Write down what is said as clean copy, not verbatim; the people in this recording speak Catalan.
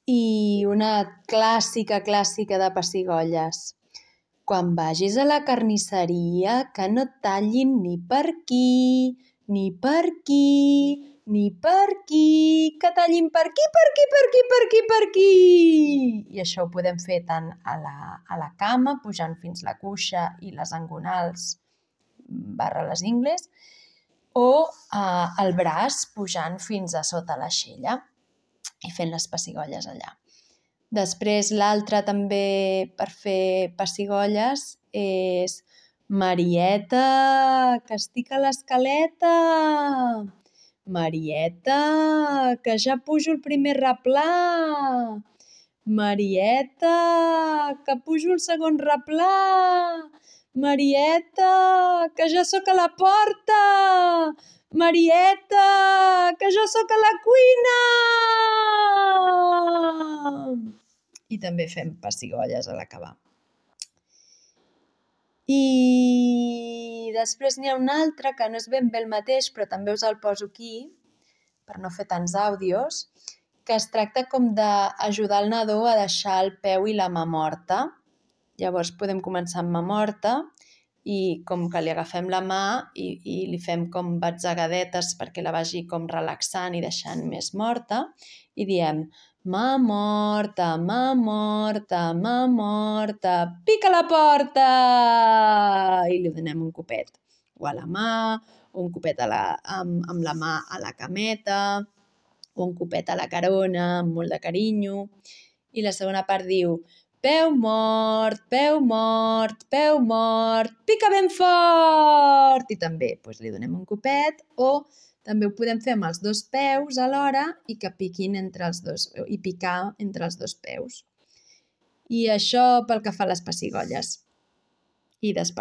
I una clàssica de pessigolles. Quan vagis a la carnisseria, que no et tallin ni per aquí, ni per aquí, ni per aquí, que tallin per aquí, per aquí, per aquí, per aquí, per aquí. I això ho podem fer tant a la cama, pujant fins la cuixa i les engonals / les ingles, o al braç, pujant fins a sota l'aixella i fent les pessigolles allà. Després l'altre també per fer pessigolles és Marieta, que estic a l'escaleta! Marieta, que ja pujo el primer replà! Marieta, que pujo el segon replà! Marieta, que ja sóc a la porta! Marieta, que ja sóc a la cuina! I també fem pessigolles a l'acabar. I després n'hi ha un altre que no és ben bé el mateix, però també us el poso aquí, per no fer tants àudios, que es tracta com d'ajudar el nadó a deixar el peu i la mà morta. Llavors podem començar amb mà morta i com que li agafem la mà i li fem com batzegades perquè la vagi com relaxant i deixant més morta i diem mà morta, mà morta, mà morta, pica la porta! I li donem un copet o a la mà, o un copet amb la mà a la cameta, o un copet a la carona amb molt de carinyo. I la segona part diu peu mort, peu mort, peu mort, pica ben fort! I també li donem un copet, o també ho podem fer amb els dos peus alhora i que piquin entre els dos, i picar entre els dos peus. I això pel que fa a les pessigolles. I després